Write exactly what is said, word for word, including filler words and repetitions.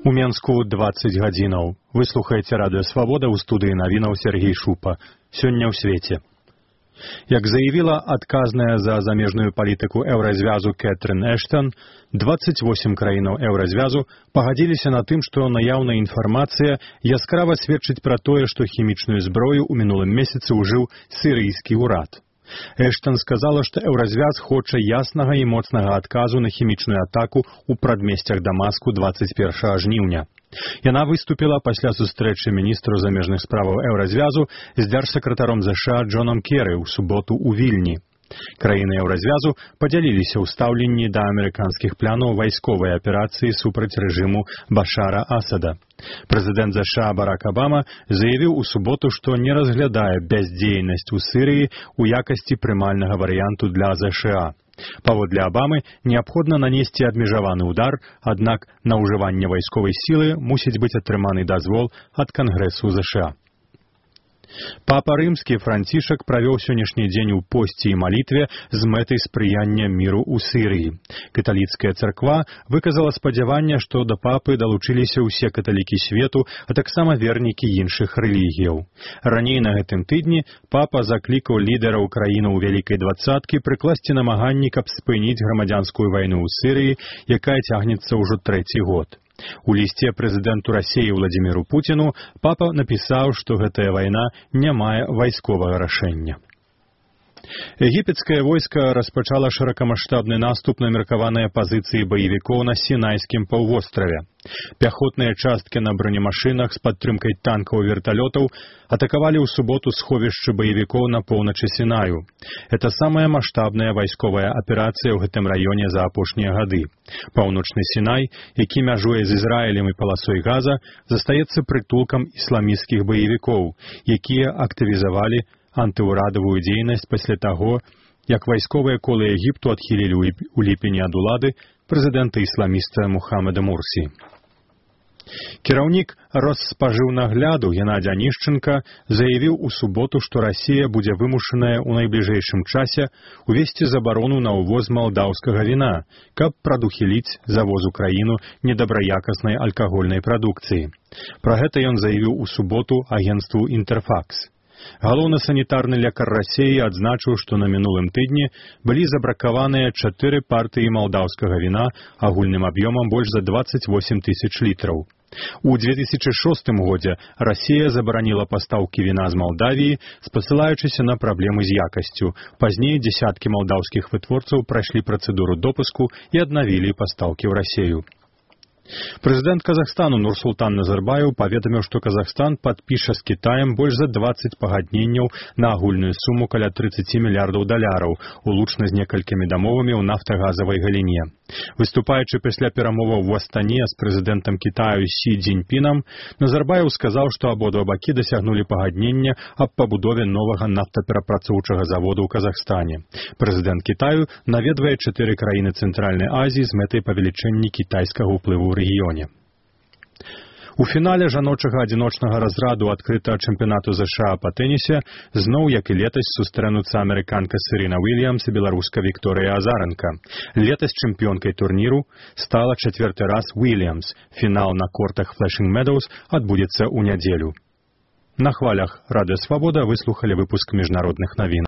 У Менску дваццаць гадзінаў. Вы слухаеце радыё «Свабода», ў студыі навінаў Сергей Шупа. Сёння ў свеце. Як заявіла адказная за замежную палітыку еўразвязу Кэтрин Эштон, дваццаць восем краінаў еўразвязу пагадзіліся на тым, што наяўная інфармацыя яскрава сведчыць пра тое, што хімічную зброю ў мінулым месяцы ўжыў сірыйскі ўрад. Эштон сказала, што еўразвяз хоча яснага і моцнага адказу на хімічную атаку ў прадмесцях Дамаску дваццаць першага жніўня. Яна выступіла пасля сустрэчы міністру замежных справаў еўразвязу з дзяржсакратаром ЗША Джонам Керы ў суботу ў Вільні. Краіны еўразвязу падзяліліся ў стаўленні да амерыканскіх планаў вайсковай аперацыі супраць рэжыму Башара Асада. Прэзідэнт ЗША Барак Абама заявіў у суботу, што не разглядае бяздзейнасць у Сірыі ў якасці прымальнага варыянту для ЗША. Паводле Абамы неабходна нанесці абмежаваны ўдар, аднак на ўжыванне вайсковай сілы мусіць быць атрыманы дазвол ад Кангрэсу ЗША. Папа рымскі Францішак правёў сённяшні дзень у посці і малітве з мэтай спрыяння міру ў Сірыі. Каталіцкая царква выказала спадзяванне, што да папы далучыліся ўсе каталікі свету, а таксама вернікі іншых рэлігіяў. Раней на гэтым тыдні папа заклікаў лідараў краінаў вялікай дваццаткі прыкласці намаганні, каб спыніць грамадзянскую вайну ў Сірыі, якая цягнецца ўжо трэці год. У лісце прэзідэнту Расіі Владзіміру Пуціну папа напісаў, што гэтая вайна не мае вайсковага рашэння. Егіпецкае войска распачала шырокамаштабны наступ на меркаваныя пазіцыі баевікоў на Сінайскім паўвостраве. Пяхотныя часткі на бронемашынах з падтрымкай танкаў і верталётаў атакавалі ў суботу сховішчы баевікоў на поўначы Сінаю. Это самая маштабная вайсковая аперацыя ў гэтым раёне за апошнія гады. Паўночны Сінай, які мяжуе з Ізраілем і паласой Газа, застаецца прытулкам ісламісцкіх баевікоў, якія актывізавалі антыўрадавую дзейнасць пасля таго, як вайсковыя колы Егіпту адхілілі ў ліпені ад улады прэзідэнта-ісламіста Мухаммада Мурсі. Кіраўнік Росспажыўнагляду Геннадзь Анішченка заявіў у суботу, што Расія будзе вымушаная ў найбліжэйшым часе увесці забарону на ўвоз малдаўскага віна, каб прадухіліць завоз у краіну недабраякаснай алкагольнай прадукцыі. Пра гэта ён заявіў у суботу агенцтву «Інтэрфакс». Галоўны санітарны лекар Расіі адзначыў, што на мінулым тыдні былі забракаваныя чатыры партыі малдаўскага віна агульным аб'ёмам больш за дваццаць восем тысяч літраў. У дзве тысячы шостым годзе Расія забараніла пастаўкі віна з Малдавіі, спасылаючыся на праблемы з якасцю. Пазней дзесяткі малдаўскіх вытворцаў прайшлі працэдуру допуску і аднавілі пастаўкі ў Расію. Прэзідэнт Казахстану Нурсултан Назарбаев паведаміў, што Казахстан падпіша з Кітаем больш за дваццаць пагадненняў на агульную суму каля трыццаці мільярдаў даляраў, улучна з некалькімі дамовамі ў нафтагазавай галіне. Выступаючы пасля перамоваў у Астане з прэзідэнтам Кітаю Сі Цзіньпінам, Назарбаев сказаў, што абодва бакі дасягнулі пагаднення аб пабудове новага нафтаперапрацоўчага заводу ў Казахстане. Прэзідэнт Кітаю наведвае чатыры краіны Цэнтральнай Азіі з мэтай павелічэння кітайскага ўплыву ў рэгіёне. У фінале жаночага адзіночнага разраду адкрытага чэмпіянату ЗША па тэнісе зноў, як і летась, сустрэнуцца амерыканка Сэрена Уільямс і беларуска Вікторыя Азаранка. Летась чэмпіёнкай турніру стала чацвёрты раз Уільямс. Фінал на кортах Флэшинг Медоўс адбудзецца ў нядзелю. На хвалях радыё «Свабода» выслухалі выпуск міжнародных навін.